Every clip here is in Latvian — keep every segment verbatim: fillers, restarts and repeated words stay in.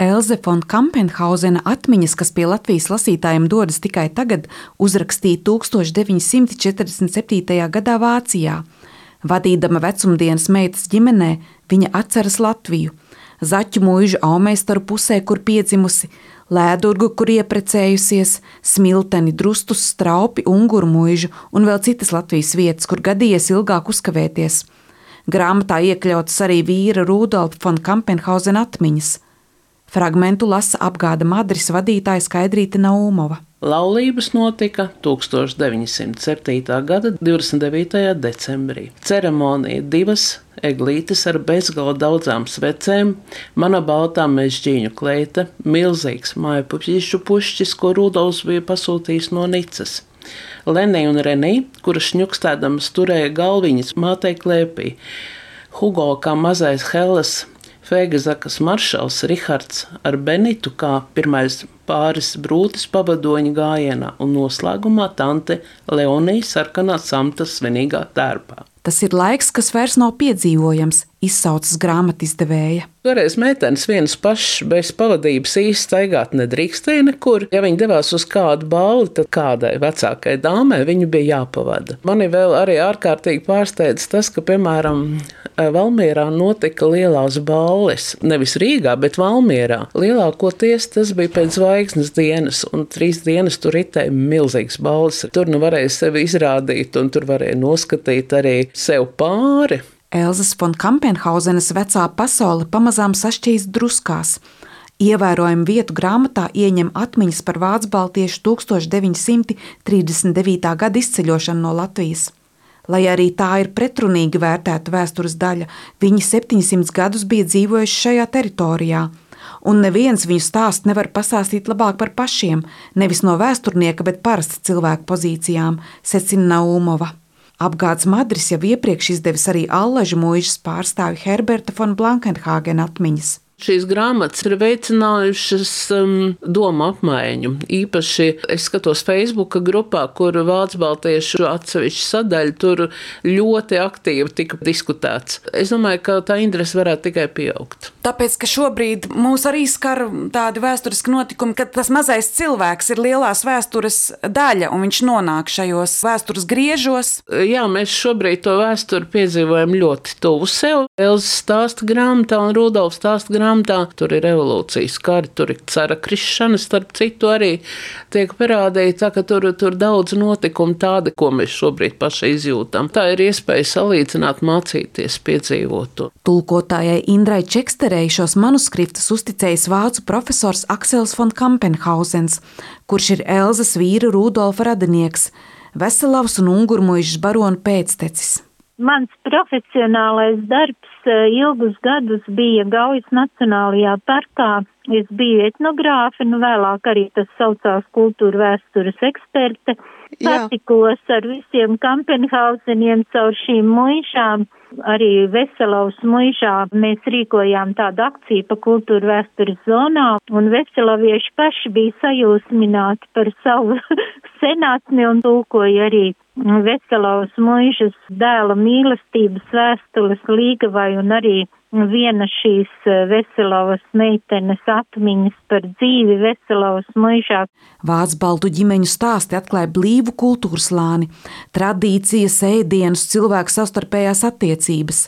Elze fon Kampenhausena atmiņas, kas pie Latvijas lasītājiem dodas tikai tagad, uzrakstīja tūkstoš deviņi simti četrdesmit septītajā gadā Vācijā. Vadīdama vecumdienas meitas ģimenē, viņa atceras Latviju. Zaķu mūžu aumeistaru pusē, kur piedzimusi, Lēdurgu, kur ieprecējusies, Smilteni, Drustus, Straupi, Unguru mūžu un vēl citas Latvijas vietas, kur gadījies ilgāk uzkavēties. Grāmatā iekļautas arī vīra Rudolfa fon Kampenhausena atmiņas. Fragmentu lasa apgāda Madris vadītāja Skaidrīte Naumova. Laulības notika tūkstoš deviņi simti septītā gada divdesmit devītajā decembrī. Ceremonija divas eglītes ar bezgala daudzām svecēm, mana baltā mežģīņu kleita, milzīgs mājpuķīšu pušķis, ko Rudolfs bija pasūtījis no Nicas. Lenija un Renija, kuras šņukstēdamas turēja galviņas mātei klēpī. Hugo kā mazais Helles, Fēgezakas maršals Rihards ar Benitu kā pirmais pāris brūtis pavadoņa gājienā un noslēgumā tante Leonija sarkanā samta svinīgā tērpā. Tas ir laiks, kas vairs nav piedzīvojams, izsaucas grāmatizdevēja. Toreiz meitenes vienas pašas bez pavadības īsti staigāt nedrīkstēja nekur. Ja viņi devās uz kādu balli, tad kādai vecākai dāmai viņu bija jāpavada. Mani vēl arī ārkārtīgi pārsteidz tas, ka, piemēram, Valmierā notika lielās balles. Nevis Rīgā, bet Valmierā. Lielākoties tas bija pēc zvaigznes dienas, un trīs dienas tur ritēja milzīgas balles. Tur nu varēja sevi izrādīt, un tur varēja noskatīt arī sev pāri. Elzes fon Kampenhausenas vecā pasaule pamazām sašķīst druskās. Ievērojumu vietu grāmatā ieņem atmiņas par vācu-baltiešu tūkstoš deviņi simti trīsdesmit devītā gada izceļošanu no Latvijas. Lai arī tā ir pretrunīgi vērtēta vēstures daļa, viņi septiņsimt gadus bija dzīvojuši šajā teritorijā, un neviens viņu stāstu nevar pastāstīt labāk par pašiem, nevis no vēsturnieka, bet parasta cilvēku pozīcijām, secina Naumova. Apgāds Madris jau iepriekš izdevis arī Allažu mūžas pārstāvi Herberta fon Blankenhāgena atmiņas. Šīs grāmatas ir veicinājušas um, domu apmaiņu. Īpaši es skatos Facebooka grupā, kur vācu-baltiešu atsevišķa sadaļa tur ļoti aktīvi tika diskutēts. Es domāju, ka tā interese varētu tikai pieaugt. Tāpēc, ka šobrīd mūs arī skar tādi vēsturiski notikumi, ka tas mazais cilvēks ir lielās vēstures daļa un viņš nonāk šajos vēstures griežos. Jā, mēs šobrīd to vēsturi piedzīvojam ļoti tuvu sev. Elzes stāsta grāmatā un Rudolfs stāsta grāmatā. Tur ir revolūcijas kari, tur ir cara krišana, starp citu arī tiek parādīta, ka tur, tur daudz notikumu tādi, ko mēs šobrīd paši izjūtam. Tā ir iespēja salīdzināt, mācīties, piedzīvot to. Tulkotājai Indrai Čeksterei šos manuskriptus uzticējis vācu profesors Aksels fon Kampenhausens, kurš ir Elzes vīra Rudolfa radinieks, Veselavas un Ungurmuižas barona pēctecis. Mans profesionālais darbs ilgus gadus bija Gaujas Nacionālajā parkā. Es biju etnogrāfe, nu vēlāk arī tas saucās kultūra vēstures eksperte. Patikos ar visiem Kampenhauseniem caur šīm muižām. Arī Veselavas muižā mēs rīkojām tādu akciju pa kultūra vēstures zonā, un veselavieši paši bija sajūsmināti par savu senatni un tulkoja arī Veselavas muižas dēla mīlestības vēstules Līgavai un arī viena šīs Veselavas meitenes atmiņas par dzīvi Veselavas muižā. Vācu-baltu ģimeņu stāsti atklāja blīvu kultūras lāni, tradīcijas, ēdienus, cilvēku savstarpējās attiecības.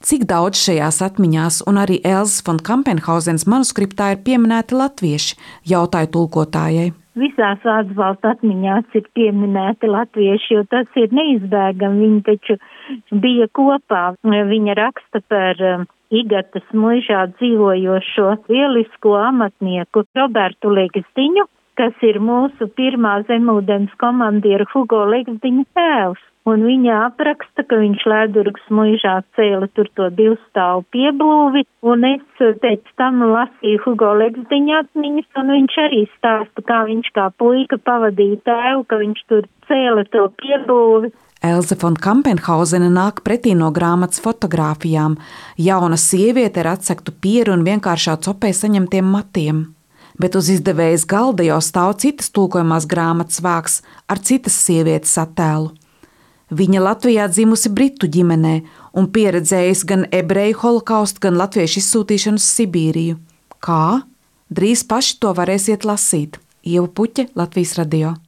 Cik daudz šajās atmiņās un arī Elzes fon Kampenhausenas manuskriptā ir pieminēti latvieši, jautāja tulkotājai. Visās vācu-baltu atmiņās ir pieminēti latvieši, jo tas ir neizbēgami, viņi taču bija kopā. Viņa raksta par Igatas muižā dzīvojošo lielisko amatnieku Robertu Legzdiņu, kas ir mūsu pirmā zemūdens komandiera Hugo Legzdiņa tēvs. Un viņa apraksta, ka viņš Lēdurgas muižā cēla tur to divstāvu pieblūvi, un es pēc tam lasīju Hugo Legzdiņa atmiņas, un viņš arī stāsta, kā viņš kā puika pavadīja tēvu, ka viņš tur cēla to pieblūvi. Elze fon Kampenhausena nāk pretī no grāmatas fotogrāfijām. Jauna sieviete ar atsektu pieru un vienkāršā copē saņemtiem matiem. Bet uz izdevējas galda jau stāv citas tulkojamās grāmatas vāks ar citas sievietes attēlu. Viņa Latvijā dzimusi britu ģimenē un pieredzējusi gan ebreju holokaustu, gan latviešu izsūtīšanu uz Sibīriju. Kā? Drīz paši to varēsiet lasīt. Ieva Puķe, Latvijas radio.